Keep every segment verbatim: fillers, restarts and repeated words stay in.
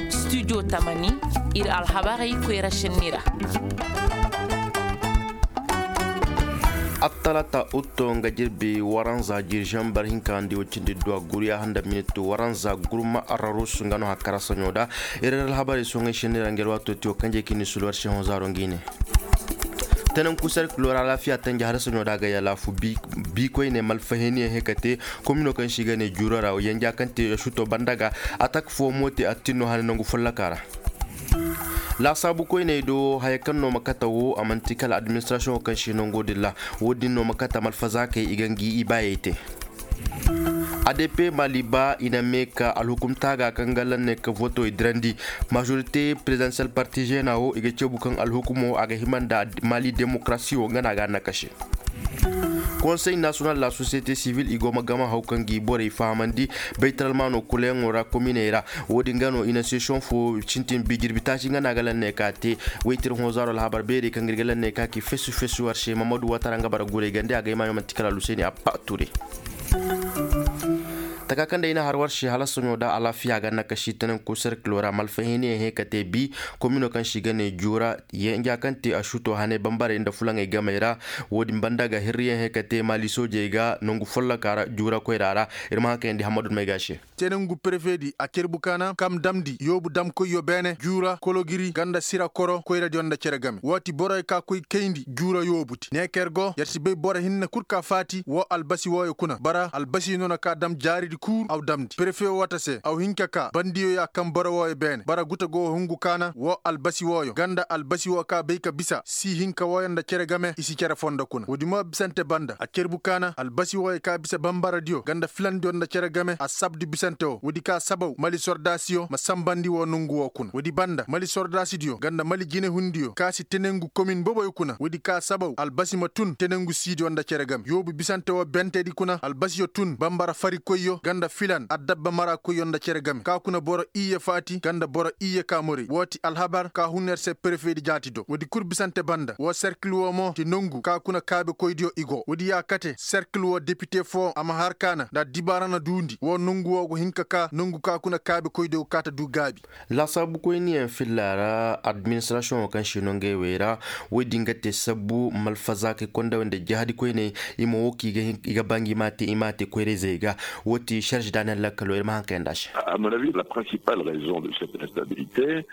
Studio tamani, ir alhabarey koyra šenni ra. Attalata utto nga jirbi waranza jirjambar hinka ndi wacindi duwa guriya handa miniti waranza gurma ararus nga no hakkara saɲo da. Ir alhabarey soŋay šenni ra nga ir waato tiyo kanje kini sulwar šehõ zaaro ngi ne. Tenenku serkilo ra alaafiya tanja har saɲo da ga yalaafu bi koyne malfaheniyaŋ hekate. Komino kaŋ si ga ne juura ra yanja kaŋ te shuto banda ga. Atak fo mo te attin no hane nangu folloka ra. Laasaabu koyney do haya kaŋ no ma kata wo a manti kala administrasiyoŋo kaŋ si nango din ra. Wo- din no ma kata malfazaakey i ga ngi ibaayey te. Adp mali ba i na mee ka alhukumta ga kaŋ ga lanne ka voto i dirandi. Majorité présidentielle parti jeena wo i ga ceebu kaŋ alhukumo a ga hima nda mali démocratie wo nga no a ga a nakase. Konsey nasiyonal la société civile i go ma gama haw kaŋ gi borey fahamandi. Baytaralmaano kulayaŋo ra kominey ra. Wo- din ga no i na sesiyoŋ fo sintin bi jirbi taaci nga no a ga lanne ka te. Waytir hõ zaaro alhabar beerey kaŋ ga ir ga lanne ka ki fesu fesu war se mamadu watara nga bara guray gande a ga ay maayo manti kala luseeni abba ture. Taka kaŋ day na har war se hala soɲo da alaafiya ga nakaši tananku serkilo ra malfahiniyaŋ he ka te bi. Komino kaŋ si ga ne juura yanja kaŋ te a suto hane bambarey nda fulaŋey gamey ra. Wo- din banda ga hirriyaŋ he ka te maali soojey ga nangu folloka ra juura koyra ra. Ir ma haŋ kayandi hammadu may ga se. Tenengu perefedi a cerbu kaana kam damndi yoobu damkoyyo beene juura kologiri ganda sira koro koyradiyo nda cere game waati boroyo ka koy kayndi juura yoobuti neeker go yer si bay boro hinne kul ka faati woo albasi wooyo kuna bara albasi no na ka dam jaaridi kuuru aw damndi perefe woo wata se aw hin ka ka bandiyo ya kam boro wooyo beene bara guta go hungu kaana woo albasi wooyo ganda albasi woo ka bay ka bisa sii hinka wooyo nda cere game i si cere fondo kuna woodi mo bisante banda a cerbu kaana albasi wooyo ka bisa bambaradiyo ganda filandiyo nda cere game a sabdi bisante woo woodi ka sabaw mali sordaasiyo ma sambandi woo nongu woo kuna woodi banda mali sordaasidiyo ganda mali jinehundiyo ka si tenengu komin boboyo kuna woodi ka sabaw albasi ma tun tenengu siidiyo nda cere game yoobu bisante woo bentedi kuna albasiyo tun bambara farikoyyo ganda filan addabba marakoyyo nda cere game ka kuna boro iyye faati ganda boro iyye ka morey woo ti alhabar ka hun yer se perefedi jaati do woodi kul bisante banda woo serkil woo mo ti nongu ka kuna kaabekoydiyo i go woodi ya kate serkil woo depite foo a ma har kaana nda dibaara na duundi woo nongu woo go hin ka ka nongu ka kuna kaabekoydiyo go kaa ta duu gaabi. Laasaabukoyniyaŋ filla ra administrasiyoŋo kaŋ si no ngey wey ra woy din ga te sabbu malfazaakey konda wey nda jahadikoyney i ma woo kaŋ i ga ba ngi i m'a te i m'a te koyra-izey ga. Woo ti serge daniyel lakkalo ir ma haŋ kayandi a se.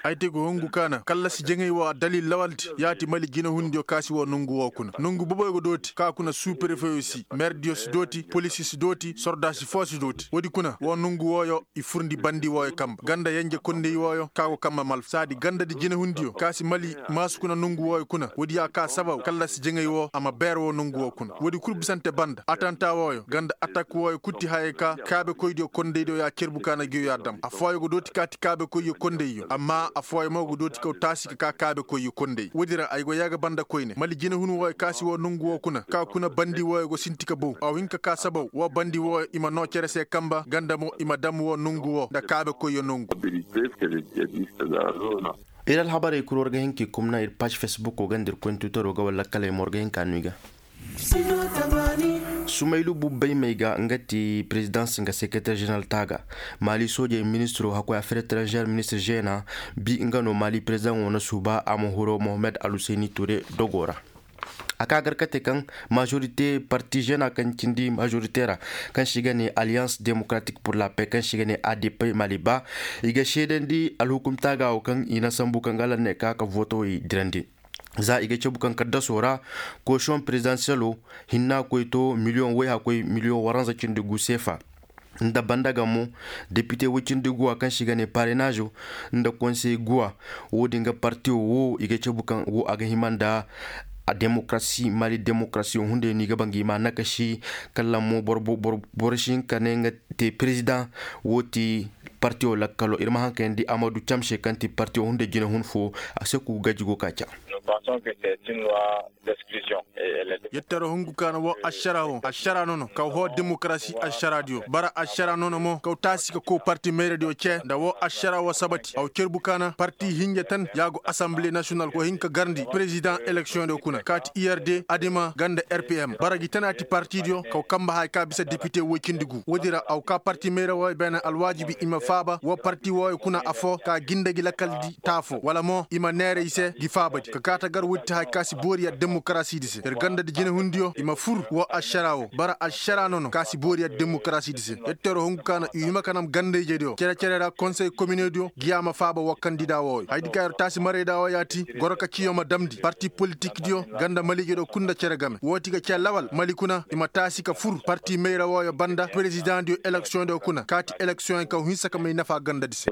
Ay te go hungu kaana kallasi jaŋay woo a dalil lawaldi ya ti mali jinehundiyo ka si woo nongu woo kuna nongu boboyo go dooti ka kuna suu perefeyo si merdiyo si dooti polisi si dooti sordaasi foo si dooti woodi kuna woo nongu wooyo i furndi bandi wooyo kamba ganda yenje kondey wooyo ka go kamba malfa saadi gandadi jinehundiyo ka si mali maasu kuna nongu wooyo kuna woodi ya ka sabaw kallasi jaŋay woo a ma beer woo nongu woo kuna woodi kul bisante banda atanta wooyo ganda atak wooyo kul ti hayey ka kaabekoydiyo kondeydiyo ya cerbu kaana ngiyo ya dam affooyo go dooti ka ti kaabekoyyo kondeyyo amma affooyo mo go dooti kaw taasi ka ka kaabekoyyo kondey woodi ra ay go yaaga banda koyne mali jinehun wooyo ka si woo nongu woo kuna ka kuna bandi wooyo go sinti ka bow a hin ka ka sabaw woo bandi wooyo i ma noo cere se kamba ganda mo i ma dam woo nongu woo nda kaabekoyyo nongu. Ir alhabarey kul war ga hin k'i kumna ir paaž fesbuko ga nda ir koyni twitero ga wala kaley mo war ga hin ka no i ga. Sumaylu bubbay may ga nga ti presidence nga secretaire general taaga mali soojey ministiro hakkoy affaire étrangère ministir jeena bi nga no mali president wo na suuba a ma huro mohammed alhuseyni ture dogo ra. A ka gar kate kaŋ majorité parti jeena kaŋ cindi majorité ra kaŋ si ga ne alliance démocratique pour la paix kaŋ si ga ne adp mali ba i ga seedandi alhukum taaga wo kaŋ i na sambu kaŋ ga lanne ka ka voto i dirandi. Za i ga cabu kaŋ kaddaso ra koosiyoŋ prezidansiyelo hinna koy to miliyoŋ woy hakkoy miliyoŋ waranza cindi gu seefa. Nda banda ga mo depite woy cindi guwa kaŋ si ga ne parenaazo nda konsey guwa. Wo- din ga partiyo wo i ga cabu kaŋ wo a ga hima nda a demokarasi mali demokarasiyo hunday no i ga ba ngi ma nakasi. Kala mo boro si hin ka ne nga te perezidaŋ. Wo ti Parti wo lakkalo ir ma haŋ ka yaŋ di amadu cam se kaŋ ti parti wo hunday jinahun fo. A se ku gaji go ka ca. Yetteroo hungu ka na woo ašara woo ašara nono kaw hoo demokarasi ašaradiyo bara ašara nono mo kaw taasi ka kow parti mayradiyo cee nda woo ašara woo sabati aw cerbu ka na parti hinja tan ya go asanbile nasiyonal go hin ka garndi perezidaŋ eleksiyoŋ diyo kuna kaati i r d adima ganda r p m bara gi tana ti partidiyo kaw kanba haya ka bisa depite woy cindi gu woodin ra aw ka parti mayra wooyo beene alwaajibi i ma faaba woo parti wooyo kuna afoo ka ginda gi lakaldi taafoo wala mo i ma neera i se gi faabadi ka kaata gar woodi ti haya ka si boori yar demokarasidi se ir gandadi jinehundiyo i ma fur woo ašara woo bara ašara nono ka si boori yar demokarasidi se. Yetteroo hungu ka na i hima ka nam ganda-ijediyo cere-cere ra konsey kominediyo giya ma faaba woo kandida wooyo hayadi ka ir taasi marayda woo yaati goro ka ciyo ma damndi parti politikdiyo ganda maliijediyo kul nda cere game wooti ga cee lawal mali kuna i ma taasi ka fur parti mayra wooyo banda perezidaŋdiyo eleksiyoŋdiyo kuna kaati eleksiyoŋ kaw hinsa ka may nafa gandadi se.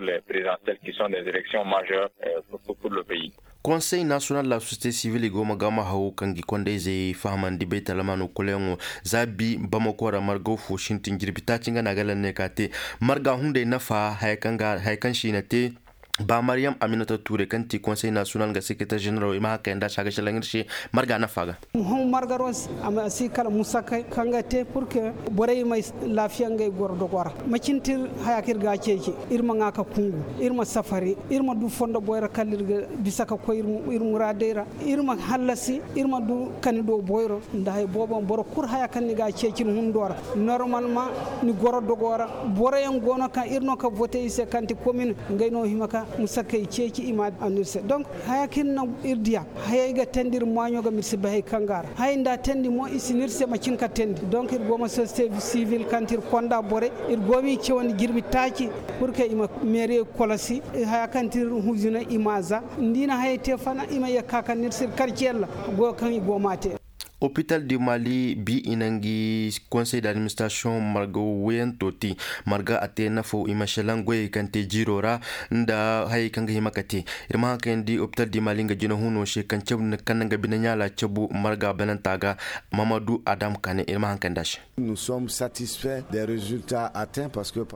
Konsey nasiyonal la sosiyete sivil i go ma gama haw kaŋ gi kondayzey fahamandi baytalamaano kulayaŋo za bi bamako ra margaw fo sintin jirbi taaci nga na a ga lanne ka te marga hunday nafa haya kaŋ si i na te. Ba mariyam aminata tuure kaŋ ti konsey nasiyonal nga sekretar ženeralo i ma haŋ kayanda si a ga selaŋ ir se marga nafa ga. Muhammad margaros a ma si kala musakay kaŋ ga te purke borey may laafiya ngey goro dogo ra macin tir haya kaŋ ir ga a ceeci ir ma ŋaa ka kungu ir ma safari ir ma du fondo boyra kala ir ga bisa ka koy ir muraadey ra ir ma hallasi ir ma du kani do boyro nda hay boobo boro kul haya kaŋ ni ga a ceeci ni hundo ra normalma ni goro dogo ra boroyaŋ go no kaŋ ir no ka vote i se kaŋ ti komin ngey no hima ka musakay ceeci i ma a no ir se donc haya kaŋ ir na ir diya hayey ga teendi ir maaɲo ga ma ir si bay hay kaŋ ga a ra hayey nda a teendi mo i si na ir se macin ka teendi donc ir go ma sosiyete sivil kaŋ ti ir konda borey ir go ma i cawandi jirbi taaci purke i ma meerey kolosi haya kaŋ ti ir huzina i ma a za nda i na hayey te fana i ma yee ka kaŋ na ir se ir karci yalla goyo kaŋ i go ma a te. Opital di mali bi i na ngi konsey d'administrasiyoŋ marga woyanto te marga a te nafaw i ma selaŋ goyey kaŋ te jiiro ra nda hayey kaŋ ga hima ka te ir ma haŋ kayandi opital di mali nga jinahuno se kaŋ na nga bine ɲaala cabu marga bananta ga. Mamadu adam kane ir ma haŋ kayandi a se.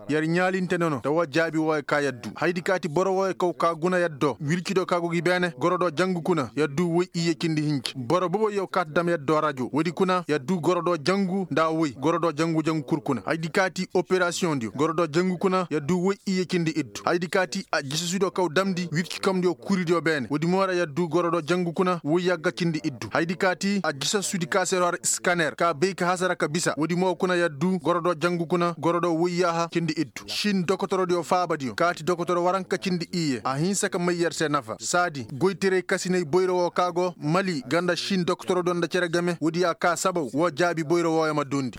Yer ɲaalinte no no da woo jaabi wooyo ka yer du haydi kaati boro wooyo kaw ka guna yer do wircido ka go gi beene goro do jangu kuna yer du woy iyye cindi hinci boro boboyo kaati dam yer do rajo woodi kuna yer du goro do jangu nda woy goro do jangu jangu kul kuna haydi kaati operasiyoŋdiyo goro do jangu kuna yer du woy iyye cindi iddu haydi kaati a jisasudiyo kaw damndi wirci kamdiyo kuridiyo beene woodi mo ra yer du goro do jangu kuna woy yagga cindi iddu haydi kaati a jisasudi ka se ra war iskaner ka bay ka hasara ka bisa woodi mo kuna yer du goro do jangu kuna goro do woy yaaha cindi iddu sin dokotorodiyo faabadiyo kaati dokotoro waranka cindi iyye a hinsa ka may yer se nafa saadi goytaray kasinay boyro woo ka go mali ganda sin dokotorodiyo nda cere game woodi ya ka sabaw woo jaabi boyro wooyo ma duundi.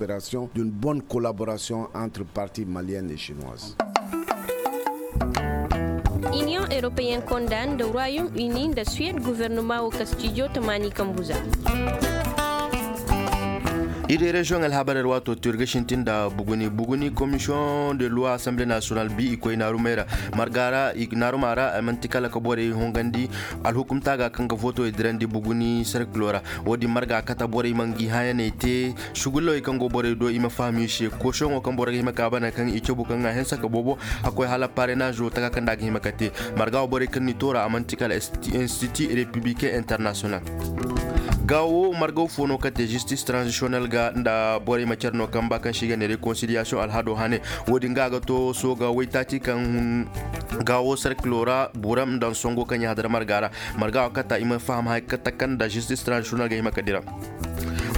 D'une bonne collaboration entre parti malienne et chinoise. Iniyoŋ europeyen konda nda royaume uni nda suwed guvernama woo kastijo tamaani kambu za. Ir de reziyoŋ alhabar ir waato to ir ga sintin nda buguni buguni komisiyoŋ de luwa asanbile nasiyonal bi i koy naarumey ra marga ra naaruma ra ay man'ti kala ka borey hongandi alhukumta ga kaŋ ga vootowey dirandi buguni serkilo ra. Woodin marga kata borey ma ngi hãyaney te sugullawey kaŋ go borey do i ma faham i se koosiyoŋo kaŋ boro ga hima ka bana kaŋ i cabu kaŋ a hinsa ka boobo a koy hala parenaazo taka kaŋ nda a ga hima ka te. Marga wo borey kaŋ n'i toora a man'ti kala institut républicain international. Gaawo margaw fo no kaŋ te zistis transisiyonel ga nda borey ma care no kaŋ ba kaŋ se i ga ne rekonsiliyasiyoŋ alhado hane. Woodin ga a ga to sooga waytaaci kaŋ hun gaawo serkilo ra buram nda songo kaŋ i hadar marga ra. Marga wo kata i ma faham haya kata kaŋ nda zistis transisiyonel ga hima ka dira.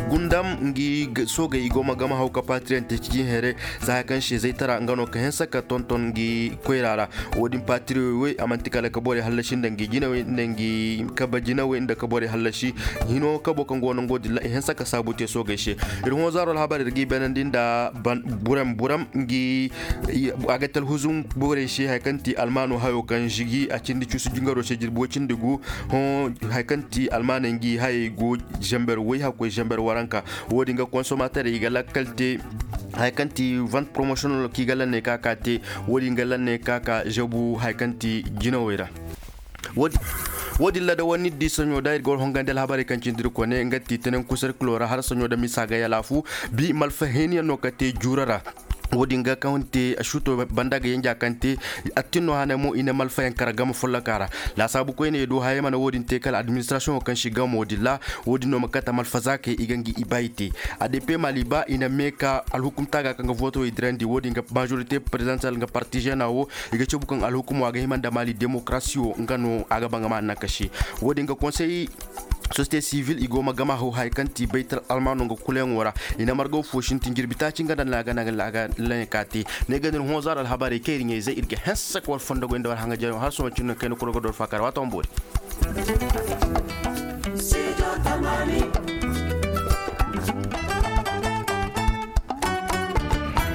Gundam ngi soogey i go ma gama haw ka paatiriyaŋ te cici here za haya kaŋ se zaytara nga no ka hinsa ka tonton ngi koyra ra. Woodin paatiriyoy woy a man'ti kala ka borey hallasi nda ngi jinawey nda ngi kabe jinawey nda ka borey hallasi. Hino kabo kaŋ go no ngo dilla i hinsa ka saabu te soogey se. Ir hõ zaaro alhabar ir g'i beenandi nda buram buram ngi a ga talhuzun borey se haya kaŋ ti almaano hayo kaŋ žigi a cindi cuusu jingaro se jirbi woy cindi gu. Hõ haya kaŋ ti almaaney ngi hayey go zamber woy hakkoy zamber waranka. Woodin ga konsomaterey i ga lakkal te haya kaŋ ti vant promosiyonal kaŋ i ga lanney ka ka te. Woodin ga lanney ka ka zabu haya kaŋ ti jinawey ra. Woodin ra da war n'i di saɲo da ir ga war hongandi alhabarey kaŋ cindi ir kone nga ti tenenku serkilo ra har saɲo da misa ga yalaafu. Bi malfahinyaŋ no ka te juura ra. Wo-din ga kaŋ te a suto banda ga yanja kaŋ te attin no hane mo i na malfayaŋ kara gama folloka ra. Laasaabu koyne do haya mana wo-din te kala administrasiyoŋo kaŋ si gamo din ra. Wo-din no ma kate malfazaakey i ga ngi ibayi te. A d p mali ba i na meeka alhukumta ga kaŋ ga vootowey dirandi wo-din ga majorite prezidantal nga partizeena wo i ga cabu kaŋ alhukumo a ga hima nda mali demokarasi wo nga no a ga ba nga ma naŋ ka se. Wo-din ga konsey sosiyete sivil i go ma gama haw haya kaŋ ti baytal almaano nga kulayaŋo ra. I na margaw fo sintin jirbi taaci nga nda na a ga naŋ la a ga layaŋ ka te. Ne ga nir honzaar alhabarey kaŋ ir ɲayzey ir ga hense ka war fondogoy nda war haŋajeyaŋo har sohõ cindi no kayna kulu ga dor faakar waati wane boori.